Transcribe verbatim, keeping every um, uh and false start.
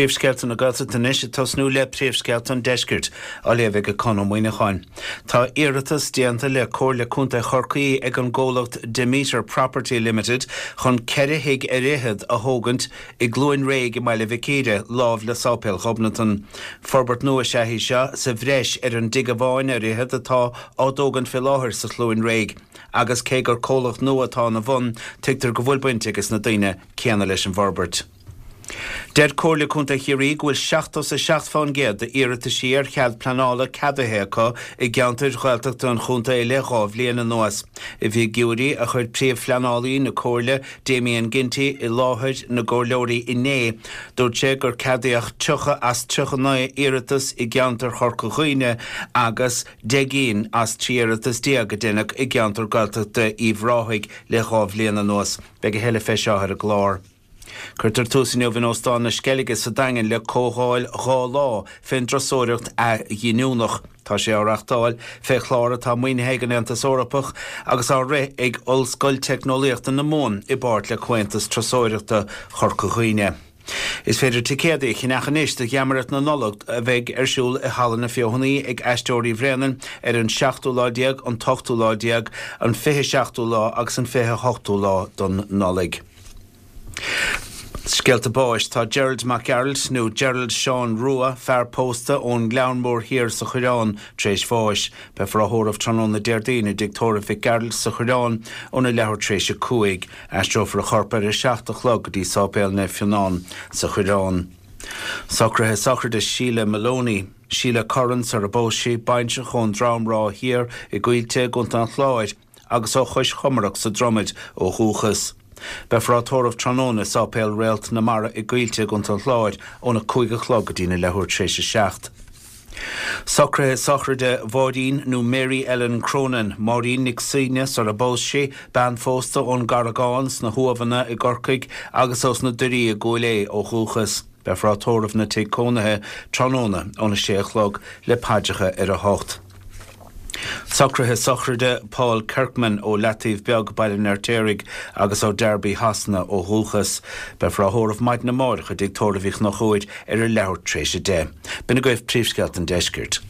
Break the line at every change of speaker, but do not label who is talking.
Príomhscéalta na Gaeltachta anois ag tosnú le príomhscéalta an deiscirt á léamh ag Conn Ó Muíneacháin. Tá iarratas déanta le Comhairle Contae Chorcaí ag an gcomhlacht Demeter Property Limited chun ceithre thigh ar fhichead a thógaint i gCluain Réidh i mBaile Mhic Íre láimh le Sáipéal Ghobnatan. Forbairt nua is ea í seo sa bhreis ar an dtigh amháin ar fhichead atá á dtógaint fé láthair sa Chluain Réidh. Agus cé gur comhlacht nua atá ina bhun, tuigtear go bhfuil baint ages na daoine céanna leis an bhforbairt. Deir Comhairle Contae Chiarraí go bhfuil seachtó is a seacht fán gcéad d'iarrataisí ar chead pleanála ceadaithe acu i gceantair Ghaeltachta an chontae le dhá bhliain anuas. I bhfigiúirí a chuir príomhphleanálaí na Comhairle, Damien Ginty, i láthair na gcomhairleoirí inné, dúirt sé gur ceadaíodh tríocha as tríocha naoi iarratas i gceantar Chorca Dhuibhne agus deich gcinn as trí iarratas déag a deineadh i gceantar Gaeltachta Uíbh Ráthaigh le dhá bhliain anuas. Beidh a thuilleadh fé seo ar an gclár. Cuirtear tús inniu in Óstán na Sceilge sa Daingean le comhdháil dhá lá fén dturasóireacht athghiniúnach. Tá sé á reachtáil fé chlár atá maoinithe ag an Aontas Eorpach agus á rith ag Ollscoil Teicneolaíochta na Mumhan i bpáirt le Comhaontas Turasóireachta Chorca Dhuibhne. Is féidir ticéadaí a cheannach anois do Gheamaireacht na Nollag a bheidh ar siúl i Halla na Feothanaí ag Aisteoirí Bhréanainn ar an seachtú lá déag, an t-ochtú lá déag, an fiche seachtú lá agus an fiche hochtú lá don Nollaig. Scéalta báis Tá Gerald Mac Gearailt nó Gerald Seán Rua, fear pósta ón nGleann Mór Thiar sa Choireán tar éis bháis. Beifear á thórramh tráthnóna Déardaoin i dtigh tórraimh Mhic Gearailt sa Choireán óna leathuair tar éis a cúig. Aistreofar a chorp ar a seacht a chlog go dtí Sáipéal Naomh Fionnán sa Choireán. Socruithe sochraide Sheila Maloney, Sheila Curran sar a bpós sí, baintreach ón Drom Ráth Thiar i gCoillte i gContae an Chláir agus ó Chois Chomaireach sa Dromaid ó dhúchas. Beifear á tórramh tráthnóna i Sáipéal Réalt na Mara i gCoillte i gContae an Chláir óna cúig a chlog go dtína leathuair tar éis a seacht. Socruithe sochraide Mháirín nó Mary Ellen Cronin, Máirín Nic Suibhne sar a bpós sí, bean phósta ón gCarragán sna hUamhanna i gCorcaigh agus ós na Doirí i gCúil Aodha ó dhúchas. Beifear á tórramh ina tigh cónaithe tráthnóna óna sé a chlog le paidreacha ar a hocht. Socruithe sochraide Paul Kirkman ó Leataobh Beag Baile an Fheirtéaraigh agus ó Derby Shasana ó dhúchas. Beifear á thórramh maidin amárach i dtigh tórraimh Uí Chonchúir ar a leathuair tar éis a deich. B'in agaibh príomhscéalta an deiscirt.